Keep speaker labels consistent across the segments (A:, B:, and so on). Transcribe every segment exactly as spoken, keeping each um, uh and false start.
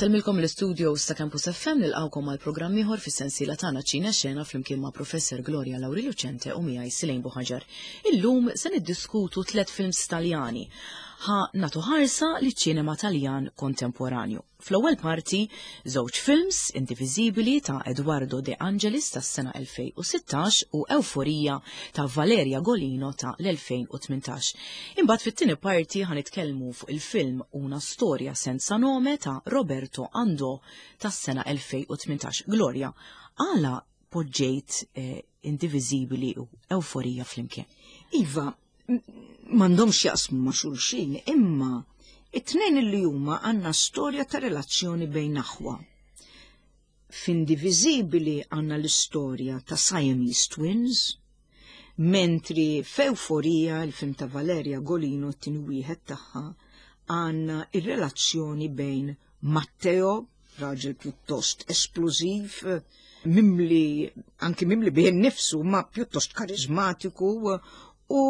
A: Insellmilkom l-istudio ta' Campus F M, nilqgħukom għal programm ieħor fis-sensiela tagħna Ċina Xena flimkien ma' Professor Gloria Lauri Lucente u miegħi Silejn Buħaġar. Illum se niddiskutu tliet films Taljani. Ħa nagħtu ħarsa liċ-ċinema Taljan kontemporanju. Fl-ewwel parti, żewġ films, Indivisibili ta' Eduardo De Angelis tas-sena elfejn u sittax u Euforia ta' Valeria Golino ta' l-elfejn u tmintax. Imbagħad fit-tieni parti ħa nitkellmu fuq il-film Una storia senza nome ta' Roberto Andò tas-sena elfejn u tmintax. Gloria, għala poġġejt eh, Indivisibili u Euforija flimkien?
B: Iva, m'għandhomx jaqsmu ma' xulxin, imma it-tnejn li huma għandna storja ta' relazzjoni bejn aħwa. F'Indivisibili għandna l-istorja ta' Siamese Twins, mentri f'Euforija, il-film ta' Valeria Golino, t-tieni wieħed tagħha, għandna ir-relazzjoni bejn Matteo, raġel pjuttost esplużiv, mimli, anki mimli bih nifsu, ma pjuttost karizmatiku, u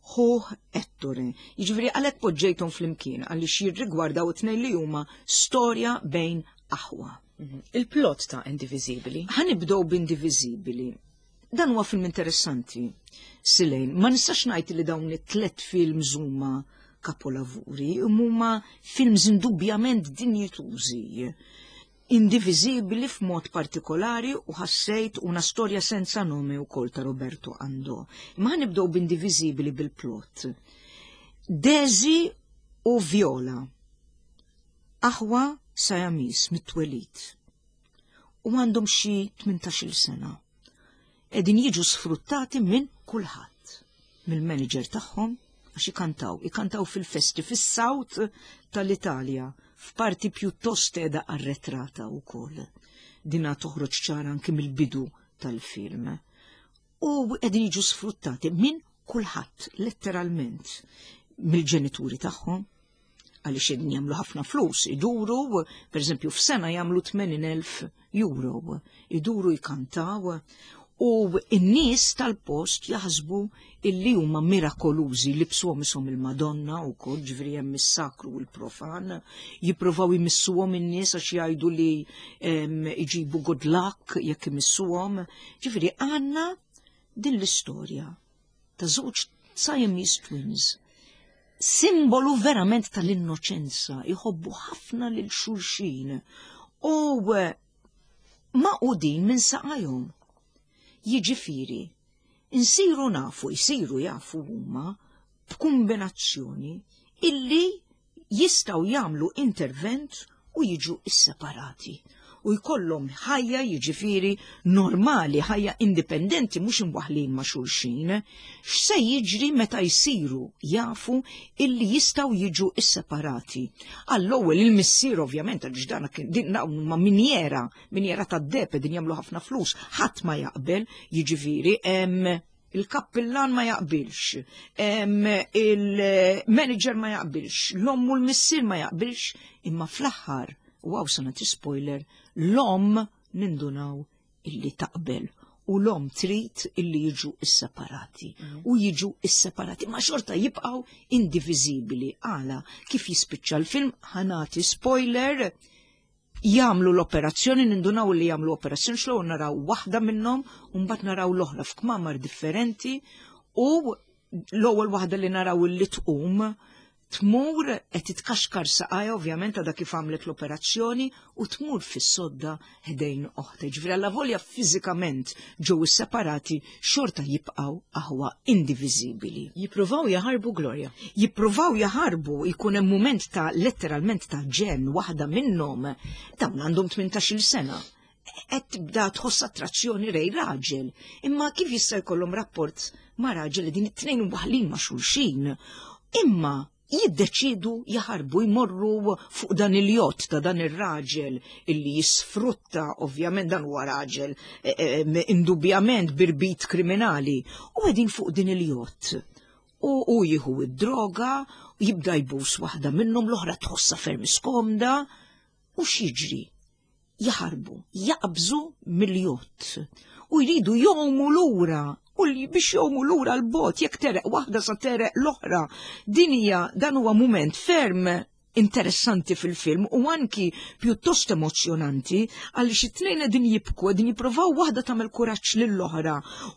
B: ħuh Ettore. Jiġifieri għalhekk poġġejthom flimkien, għaliex jirrigwardaw it-tnejn li huma storja bejn aħwa.
A: Mhm. Il-plot ta' Indivisibili.
B: Ħa nibdew b'Indivisibili. Dan huwa film interessanti. Silejn, ma nistax ngħid li dawn it-tlet films huma kapolavuri, huma films indubjament dinjitużi. Indivisibili f'mod partikolari u ħassejt Una storia senza nome ukoll ta' Roberto Andò. Ma nibdew b'Indivisibili, bil-plot. Desi u Viola, aħwa Siamese mit-twelid, u għandhom xi tmintax-il sena. Qegħdin jiġu sfruttati minn kulħadd. Mill-manager tagħhom, għax ikantaw, ikantaw fil-festi fis-South tal-Italja, f'parti pjuttost qiegħda arretrata wkoll. Dina toħroġ ċara anki mill-bidu tal-film. U qegħdin jiġu sfruttati minn kulħadd, letteralment, mill-ġenituri tagħhom, għaliex qegħdin jagħmlu ħafna flus, iduru, per eżempju, f'sena jagħmlu tmenin elf euro, iduru jkantaw, u n-nies tal-post jaħsbu illi huma mirakolużi, libsuhom isom il-Madonna u kol, ġifieri hemm is-sakru u l-profan, jippruvaw jmissuhom in-nies għax jgħidu li iġibu good luck jekk imissuhom. Ġifieri għandna din l-istorja ta' żewġ Siamese twins, simbolu verament tal-innoċenza, jħobbu ħafna lil xulxin u maqgħudin minn saqajhom. Jiġifieri, insiru nafu, jsiru jafu huma b'kombinazzjoni illi jistgħu jagħmlu intervent u jiġu isseparati u jkollhom ħajja, jiġifieri, normali, ħajja indipendenti, mhux imwaħlin ma' xulxin. X'se jiġri meta jsiru jafu illi jistgħu jiġu isseparati? Għall-ewwel il-missier ovvjament, għaliex dan din ma minjera, minjera tad-deheb, din jagħmlu ħafna flus, ħadd ma jaqbel, jiġifieri il-kappillan ma jaqbilx, il-manager ma jaqbilx, l-omm u l-missier ma jaqbilx, imma fl-aħħar, u hawn se nagħti spoiler, l-omm nindunaw illi taqbel u l-omm trid illi jiġu isseparati mm. u jiġu isseparati, ma xorta jibqgħu indiviżibili. Għala kif jispiċċa l-film, ħa nagħti spoiler, jagħmlu l-operazzjoni, nindunaw li jagħmlu operazzjoni, xlow naraw waħda minnhom u mbagħad naraw l-oħra f'kmamar differenti, u l-ewwel waħda li naraw li tqum tmur qed titkaxkar saqajja ovvjament għadha kif għamlet l-operazzjoni u tmur fis-sodda ħdejn oħta. Ġifieri allavolja fiżikament ġew separati, xorta jibqgħu aħwa indiviżibbli.
A: Jippruvaw jaħarbu, Gloria.
B: Jippruvaw jaħarbu, jkun hemm mument ta' letteralment ta' ġenn, waħda minnhom, dawn għandhom tmintax-il sena, qed tibda tħoss attrazzjoni lejn raġel. Imma kif jista' jkollhom rapport ma' raġel li din it-tnejn waħlin ma' xulxin? Imma jiddeċidu jaħarbu, jmorru fuq dan il-jott ta' dan ir-raġel illi jisfrutta, ovvjament dan huwa raġel eh, eh, indubjament b'irbit kriminali, u qegħdin fuq din il-jott. U u jieħu id-droga, u jibda jbus waħda minnhom, l-oħra tħossha ferm skomda, u x'jiġri? Jaħarbu, jaqbżu mill-jott u jridu jgħumu lura, u li biex jgħumu lura l-bot, jekk tegħreq waħda sa tegħreq l-oħra. Din hija dan huwa mument ferm interessanti fil-film u anki pjuttost emozjonanti għaliex it-tnejn qegħdin jibku, qegħdin jippruvaw waħda tagħmel kuraġġ lill-oħra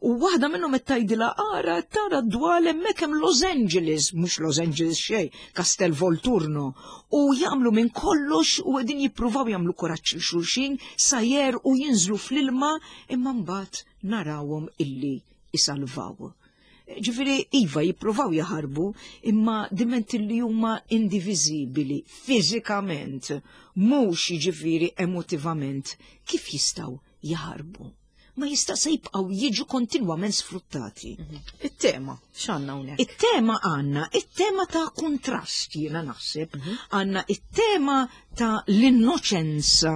B: u waħda minnhom qed tgħidilha ara tara d-dwal hemmhekk hemm Los Angeles, mhux Los Angeles xejn, Castel Volturno, u jagħmlu minn kollox u qegħdin jippruvaw jagħmlu kuraġġ lil xulxin sa u jinżlu fl-ilma imma mbagħad narawhom illi isalvaw. Ġifieri, iva, jippruvaw jaħarbu, imma diment li huma indiviżibili fiżikament, mhux jiġifieri emotivament, kif jistgħu jaħarbu? Ma jista' se jibqgħu jiġu kontinwament sfruttati.
A: Mhm. It-tema, x'għandna hawnhekk?
B: It-tema għandna, it-tema ta' kontrast jiena naħseb, mhm. għandna it-tema ta' l-innoċenza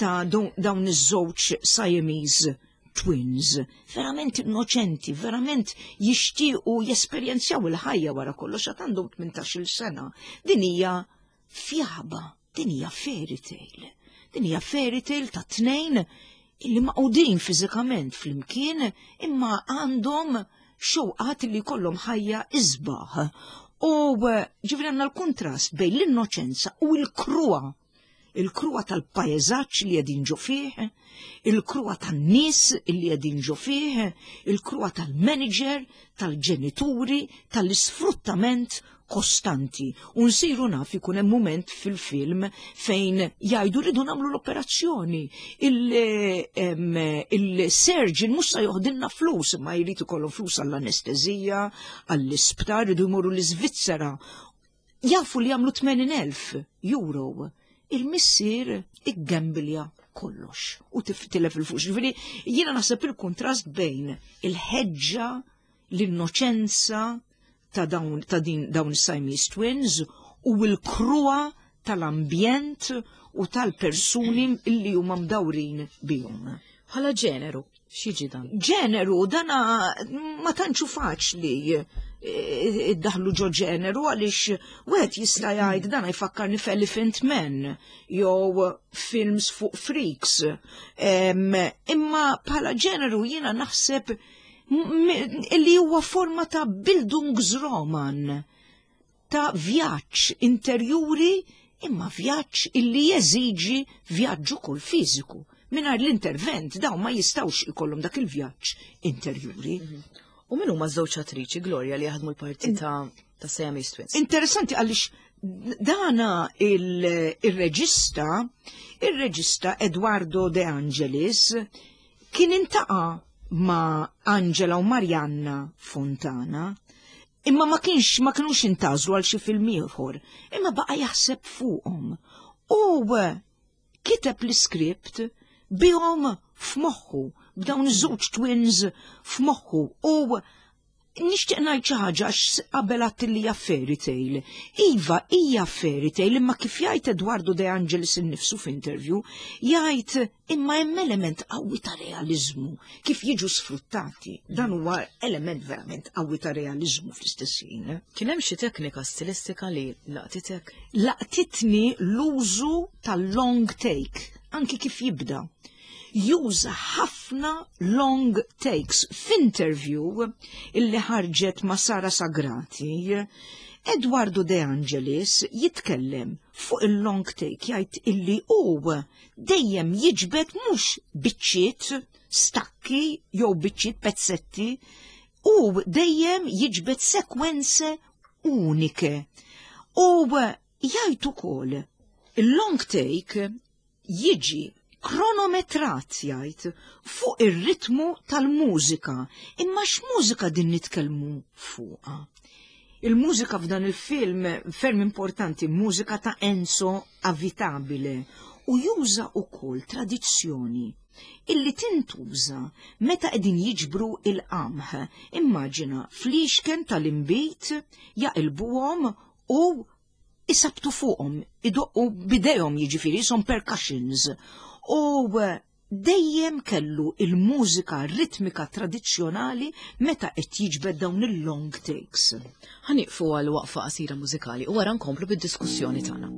B: ta' dawn iż-żewġ Siamese twins, verament innoċenti, verament jixtiequ jesperjenzjaw il-ħajja wara kollox għad għandhom tmintax-il sena. Din hija fjaba, din hija fairy tale. Din hija fairy tale ta' tnejn illi maqudin fiżikament flimkien imma għandhom xewqat li jkollhom ħajja isbaħ. U ġifieri għandna l-kontrast bejn l-innoċenza u l-kruha il-kruha tal-pajjeżaġġ li qegħdin ġo fih, il-kruha tan-nies li qegħdin ġo fih, il-kruha tal-manager, tal-ġenituri, tal-isfruttament kostanti. U nsiru naf ikun hemm mument fil-film fejn jgħidu rridu nagħmlu l-operazzjoni. Il-surgeon mhux se joħdilna flus, imma jrid ikollhom flus għall-anestezija, għall-isptar, rridu jmorru l-Iżvizzera. Jafu li jagħmlu tmenin elf euro. Il-missier iggembilja kollox u tilef il-flus. Ġifieri jiena naħseb il-kontrast bejn il-ħeġġa, l-innoċenza ta' dawn ta' din dawn is-Siamese twins u l-kruha tal-ambjent u tal-persuni illi huma mdawrin bihom.
A: Bħala ġeneru, x'jiġi dan?
B: Ġeneru, dana ma tantxu faċli iddaħlu ġo ġeneru għaliex wieħed jista' jgħid dan jfakkarni f'Elephant Man jew films fuq freaks. Imma bħala ġeneru jiena naħseb li huwa forma ta' Bildungsroman, ta' vjaġġ interjuri imma vjaġġ illi jeżiġi vjaġġ ukoll fiżiku. Mingħajr l-intervent dawn ma jistgħux ikollhom dak il-vjaġġ interjuri.
A: Mhm. U min huma żewġ attriċi Gloria li jaħdmu l-parti ta' ta' Siamese Twins?
B: Interessanti għaliex dana il-reġista, il-reġista Eduardo De Angelis kien intaqa' ma' Angela u Marianna Fontana, imma ma kienx ma kinux intażlu għal xi film ieħor, imma baqa' jaħseb fuqhom. U kiteb l-iskript bihom f'moħħu, b'dawn iż-żewġ twins f'moħħu. U nixtieq ngħid xi ħaġa għax qabel għedt li hija fairy tale. Iva, hija fairy tale, imma kif jgħid Eduardo De Angelis innifsu f'interview, jgħid imma hemm element qawwi ta' realiżmu kif jiġu sfruttati. Dan huwa element verament qawwi ta' realiżmu fl-istess ħin.
A: Kien hemm xi teknika stilistika li laqtitek?
B: Laqtitni l-użu tal-long take, anki kif jibda. Juża ħafna long takes. F'interview illi ħarġet ma' Sara Sagrati, Eduardo De Angelis jitkellem fuq il-long take, jgħid illi hu dejjem jiġbed mhux biċċiet stakki jew biċċiet pezzetti, u dejjem jiġbed sekwenze unike. U jgħid ukoll il-long take jiġi kronometrat, jgħid, fuq ir-ritmu tal-mużika. Imma x'mużika din nitkellmu fuqha? Il-mużika f'dan il-film ferm importanti, mużika ta' Enzo Avitabile, u juża wkoll tradizzjoni illi tintuża meta qegħdin jiġbru il-qamħ. Immaġina flixken tal-imbit jaqilbuhom u isabtu fuqhom, idoqqu bidejhom, jiġifieri son percussions. U dejjem kellu il-mużika ritmika tradizzjonali meta qed jiġbed dawn il-long takes.
A: Ħa nieqfu għal waqfa qasira mużikali u wara nkomplu bid-diskussjoni tagħna.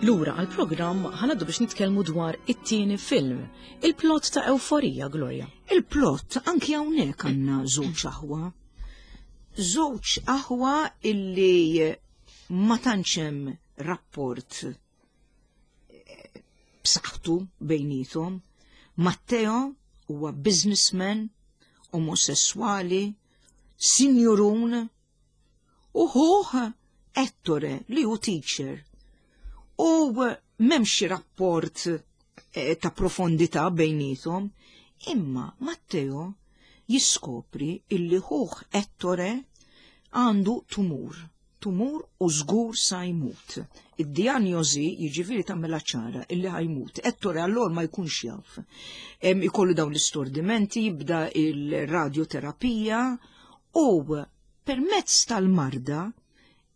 A: Lura għal-programm ħa ngħaddu biex nitkellmu dwar it-tieni film, il-plot ta' Ewforija, Gloria.
B: Il-plot anki hawnhekk għandna żewġ aħwa. Żewġ aħwa illi ma tantx hemm rapport eh, b'saħħtu bejniethom. Matteo huwa businessman, omosessuali, sinjurun, u ħuh Ettore li hu teacher. U m'hemmx rapport eh, ta' profondità bejniethom, imma Matteo jiskopri illi ħuh Ettore għandu tumur, tumur u żgur sa jmut. Id-dijanjosi jiġifieri tagħmilha ċara illi ħa jmut. Ettore allor ma jkunx jaf. Em, Ikollu dawn l-istordimenti, jibda il-radioterapija u permezz tal-marda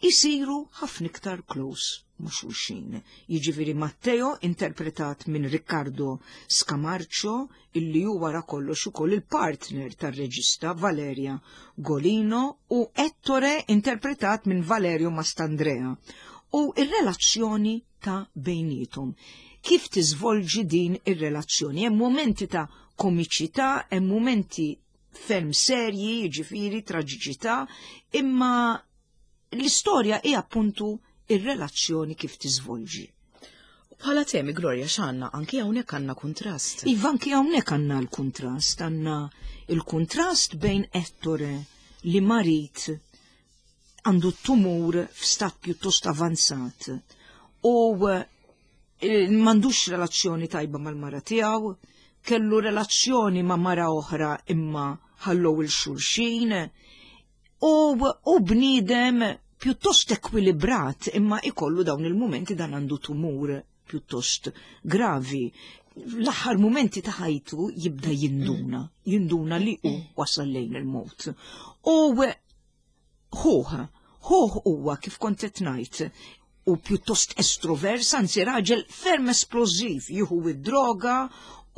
B: jisiru ħafna iktar close ma' xulxin. Jiġifieri Matteo interpretat minn Riccardo Scamarcio, illi hu wara kollox ukoll il-partner tar-reġista Valeria Golino, u Ettore interpretat minn Valerio Mastandrea. U ir-relazzjoni ta' bejnietom. Kif tiżvolġi din ir-relazzjoni? Hemm momenti ta' komiċità, hemm momenti ferm serji, jiġifieri traġiċità, imma l-istorja hija appuntu ir-relazzjoni kif tiżvolġi.
A: U bħala temi, Gloria, x'għandna? Anki hawnhekk għandna kuntrast.
B: Iva, anki hawnhekk għandna l-kuntrast, għandna il-kuntrast bejn Ettore li marid, għandu tumur f'stat pjuttost avanzat u eh, m'għandux relazzjoni tajba mal-mara tiegħu, kellu relazzjoni ma' mara oħra imma ħallow lil xulxin, u, u bniedem pjuttost ekwilibrat imma ikollu dawn il-momenti, dan għandu tumur pjuttost gravi. L-aħħar momenti ta' ħajtu jibda jinduna, jinduna li hu wasal lejn il-mot. U ħuh, ħuh huwa kif kont qed ngħid, u pjuttost estrovers, anzi raġel ferm esplożiv, jieħu id-droga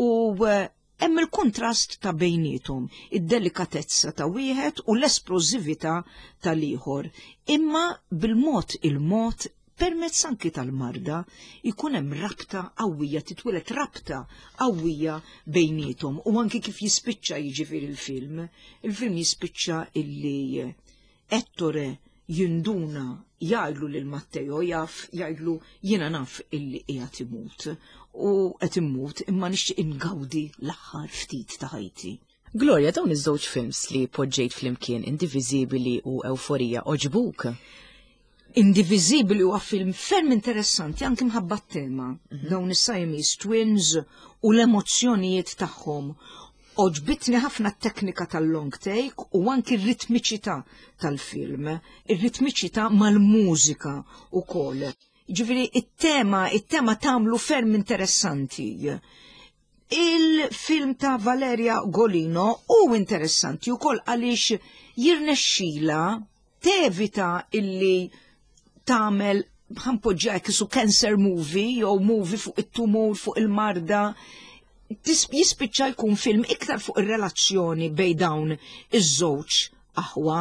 B: u eh, hemm il-kontrast ta' bejnietom, id-delikatezza ta' wieħed u l-esplożività tal-ieħor. Imma bil-mod il-mod, permezz anki tal-marda, ikun hemm rabta qawwija, titwieled rabta qawwija bejnietom u anki kif jispiċċa, jiġifieri il-film. Il-film jispiċċa illi Ettore jinduna, jgħidlu lil Matteo, jaf, jgħidlu: "Jiena naf illi qiegħed imut u qed immut, imma nixtieq ingawdi l-aħħar ftit ta' ħajti."
A: Gloria, dawn iż-żewġ films li poġġejt flimkien, Indiviżibili u Ewforija, għoġbuk?
B: Indiviżibili huwa film ferm interessanti anki mħabba tema. Dawn is-Siamese twins u l-emozzjonijiet tagħhom. Għoġbitni ħafna t-teknika tal-long take u anki r-ritmiċità tal-film, ir-ritmiċità mal-mużika u koll. Ġifieri, it-tema, it-tema tagħmlu ferm interessanti. Il-film ta' Valeria Golino u interessanti u koll għaliex jirnexxila tevita illi tagħmel, ħa npoġġiha su, cancer movie jew movie fuq it-tumur, fuq il-marda. Tis- Jispiċċa jkun film iktar fuq ir-relazzjoni bejn dawn iż-żewġ aħwa.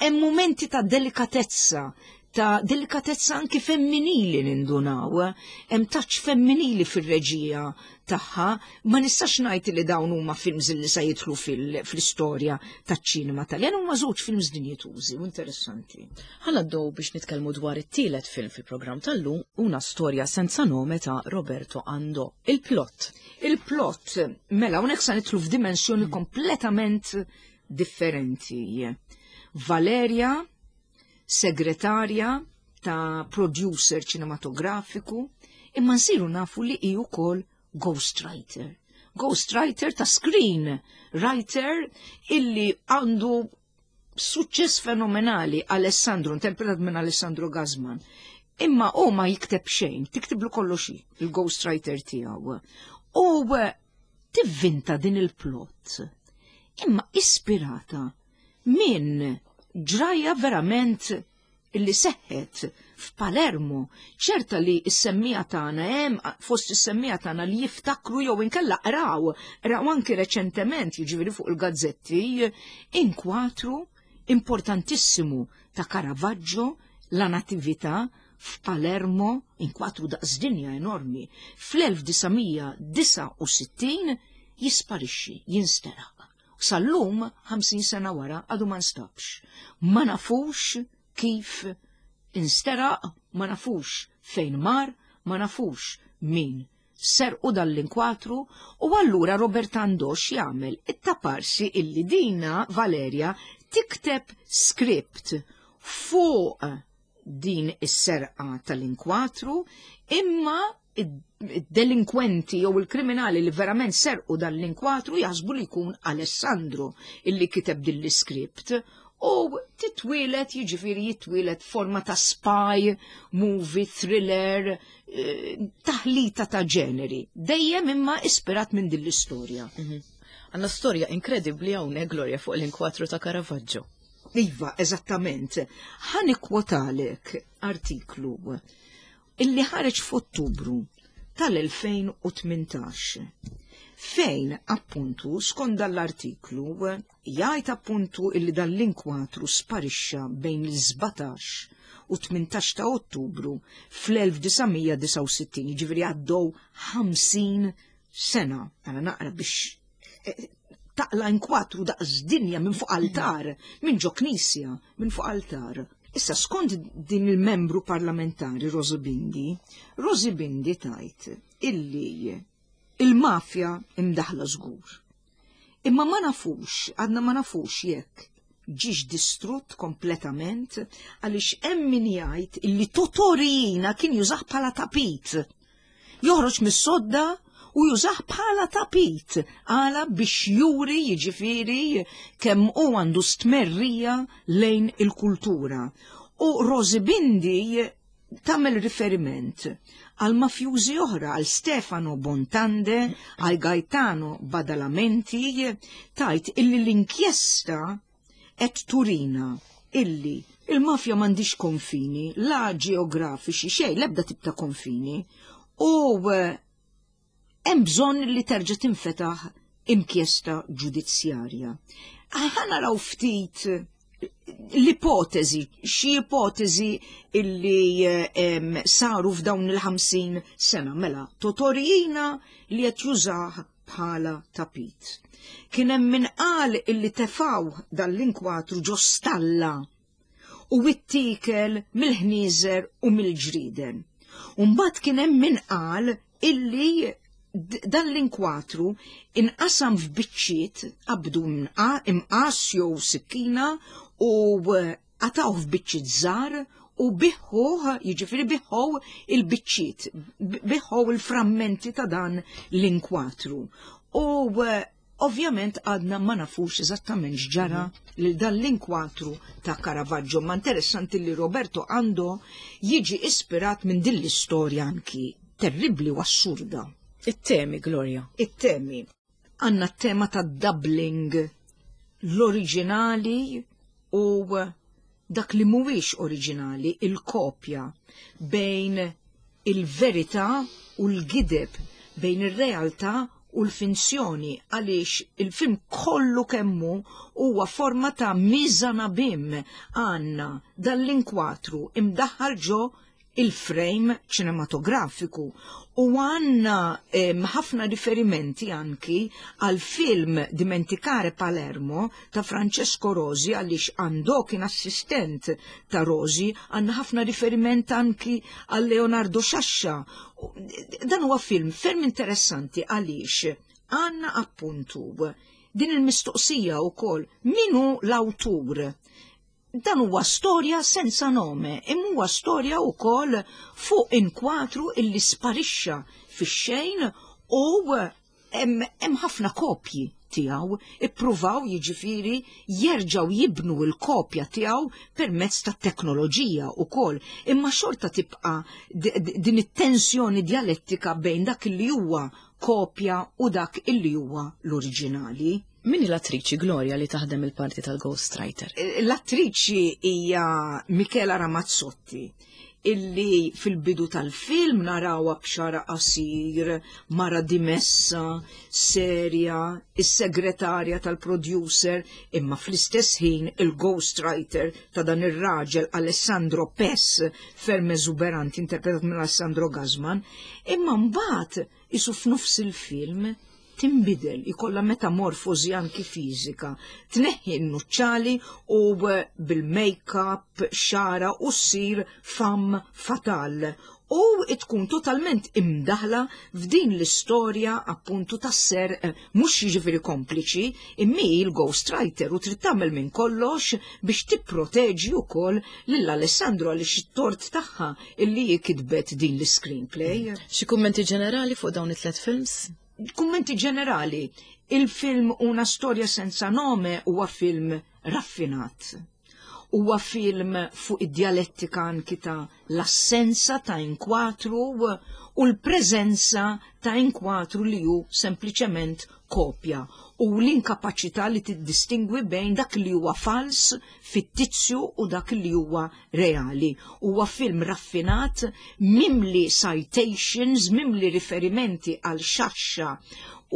B: Hemm momenti ta' delikatezza, ta' delikatezza anki femminili nindunaw, hemm touch femminili fir-reġija tagħha. Ma nistax ngħid li dawn huma films li se jidħlu fil- fl-istorja taċ-ċinema Taljan, huma żewġ films dinjitużi u interessanti.
A: Ħa ngħaddu biex nitkellmu dwar it-tielet film fil-programm tal-lum, Una storia senza nome ta' Roberto Andò. Il-plot.
B: Il-plot, mela, hawnhekk sa nidħlu f'dimensjoni kompletament differenti. Valeria, segretarja ta' producer ċinematografiku, imma nsiru nafu li hi wkoll ghostwriter. Ghostwriter ta' screen writer illi għandu suċċess fenomenali, Alessandro, interpretat minn Alessandro Gazman. Imma u ma jikteb xejn, tiktiblu kollox hi, il-ghostwriter tiegħu. U eh, tivvinta din il-plot. Imma ispirata minn ġraja verament illi seħħet f'Palermo. Ċerta li s-semmiegħa tagħna, hemm fost is-semmiegħa tagħna li jiftakru jew inkella qraw, qraw anki reċentement, jiġifieri fuq il-gazzetti, inkwatru importantissimu ta' Caravaggio, La Natività. f'Palermo, inkwatru daqs dinja enormi, fl-elf disa' mija disgħa u sittin jisparixxi, jinsteraq. Sal-lum, ħamsin sena wara, għadu ma nstabx. Ma nafux kif insteraq, ma nafux fejn mar, ma nafux min serqu dal-inkwatru. U allura Robert Andò x'jagħmel? It-taparsi illi dina Valeria tikteb script fuq din is-serqa tal-inkwatru, imma id-delinkwenti jew il-kriminali li verament serqu dal-inkwatru jaħsbu li jkun Alessandro illi kiteb din l-iskript u titwieled, jiġifieri jitwieled forma ta' spy movie, thriller, eh, taħlita ta' ġeneri, dejjem imma ispirat minn din l-istorja.
A: Mhm. Għandna storja inkredibbli hawnhekk, Gloria, fuq l-inkwatru ta' Caravaggio.
B: Iva, eżattament. Ħa nikkwotalek artiklu illi ħareġ f'Ottubru tal-elfejn u tmintax, fejn appuntu skont dal-artiklu jgħid appuntu illi dal-inkwatru sparixxa bejn il-sbatax u tmintax ta' Ottubru fl-elf disa' mija disgħa u sittin, jiġifieri għaddew ħamsin sena. Għana naqra biex eh, taqla inkwatru daqs dinja minn fuq altar, minn ġo knisja, minn fuq altar. Issa, skont din il-membru parlamentari Rosi Bindi, Rosi Bindi tgħid illi il-mafja imdaħla żgur. Imma ma nafux, għadna ma nafux jekk ġiex distrutt kompletament, għaliex hemm min jgħid illi Totò Riina kien jużah bħala tapit. Joħroġ mis-sodda u jużah bħala tapit għala biex juri, jiġifieri, kemm hu għandu stmerrija lejn il-kultura. U Rosi Bindi tagħmel riferiment għal mafjużi oħra, għal Stefano Bontade, għal Gaetano Badalamenti, tgħid illi l-inkjesta qed turina illi il-mafja m'għandhiex konfini, la ġeografiċi, xejn, l-ebda tip ta' konfini, u eh, hemm bżonn li terġa' tinfetaħ inkjesta ġudizzjarja. Ħa naraw ftit l-ipotezi, xi ipotezi illi em, saru f'dawn il-ħamsin sena, mela, Totò Riina li qed jużah bħala tapit. Kien hemm min qal illi tefaw dal-inkwatru ġo stalla u ittiekel mill-ħnieżer u mill-ġriden. Umbagħad kien hemm min qal illi dan l-inkwatru inqasam f'biċċiet, qabdu imqas jew sikkina u qatgħuh f'biċċiet żgħar u biegħuh, jiġifieri biegħu il-biċċiet, biegħu il-frammenti ta' dan l-inkwatru. U ovvjament għadna ma nafux eżattament x'ġara lil dan l-inkwatru ta' Caravaggio, ma interessanti li Roberto Andò jiġi ispirat minn din l-istorja anki terribli u assurda.
A: It-temi, Gloria.
B: It-temi. Għandna t-tema ta' doubling, l-oriġinali u dak li mhuwiex oriġinali, il-kopja, bejn il-verità u l-gideb, bejn ir-realtà u l-finzjoni, għaliex il-film kollu kemmu huwa forma ta' mise en abyme. Għandna dal-inkwatru imdaħħal ġo il-frame ċinematografiku u għandna ħafna riferimenti anki għal film Dimenticare Palermo ta' Francesco Rosi, għaliex Andò kien assistent ta' Rosi. Għandna ħafna riferiment anki għal Leonardo Sciascia. Dan huwa film ferm interessanti għaliex għandna appuntu din il-mistoqsija u koll: min hu l-awtur? Dan huwa storja senza nome, imma huwa storja wkoll fuq inkwatru illi sparixxa fix-xejn u hemm ħafna kopji tiegħu, ippruvaw, jiġifieri, jerġgħu jibnu l-kopja tiegħu permezz ta' teknoloġija wkoll, imma xorta tibqa' din it-tensjoni djalettika bejn dak li huwa kopja u dak illi huwa l-oriġinali.
A: Min l-attriċi, Gloria, li taħdem il-parti tal-ghostwriter?
B: L-attriċi hija Michela Ramazzotti. Illi fil-bidu tal-film narawha b'xagħarha qasir, mara dimessa, serja, is-segretarja tal-producer, imma fl-istess ħin il-ghostwriter ta' dan ir-raġel Alessandro Pes, ferm eżuberanti, interpretat minn Alessandro Gassman, imma mbagħad isu f'nofs il-film timbidel, ikolla metamorfosi anki fiżika, tneħħi n-nuċċali u bil-make-up, xagħarha, u ssir femme fatale u tkun totalment imdaħla f'din l-istorja appuntu tas-ser, eh, mhux jiġifieri kompliċi, imma il-ghostwriter u trid tagħmel minn kollox biex tipproteġi wkoll lil Alessandro, għaliex it-tort tagħha illi kitbet din l-screenplay.
A: Xi kummenti ġenerali fuq dawn it-tlet films?
B: Kummenti ġenerali, il-film Una storia senza nome huwa film raffinat. Huwa film fuq id-dialettika anki ta' l-assenza ta' inkwatru u l-preżenza ta' inkwatru li hu sempliċement kopja u l-inkapaċità li tiddistingwi bejn dak li huwa fals, fittizju u dak li huwa reali. Huwa film raffinat, mimli citations, mimli riferimenti għal Sciascia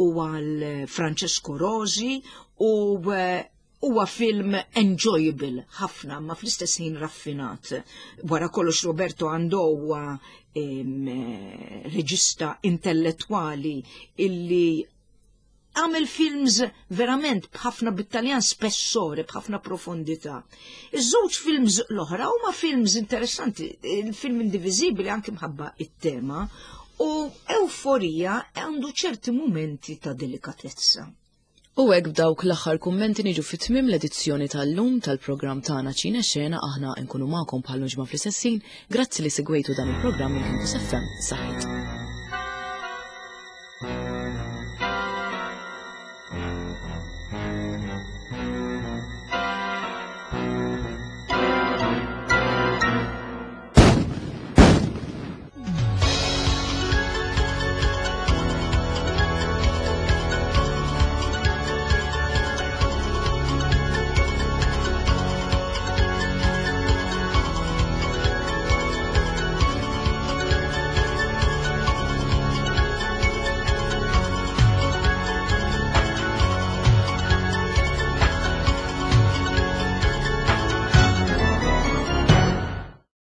B: u għal Francesco Rosi u eh, huwa film enjoyable ħafna, ma fl-istess ħin raffinat. Wara kollox Roberto Andò huwa reġista intellettwali illi għamel films verament b'ħafna, bit-Taljan spessore, b'ħafna profondità. Iż-żewġ films l-oħra huma films interessanti, il-film Indivisibili anki mħabba it-tema u Euforija għandu ċerti momenti ta' delikatezza.
A: U hekk, b'dawk l-aħħar kummenti, niġu fit-tmiem l-edizzjoni tal-lum tal-programm tagħna Ċine Xena. Aħna nkunu magħkom bħal ġimgħa fl-istess ħin. Grazzi li segwejtu dan il-programm minn Campus F M. Saħħit.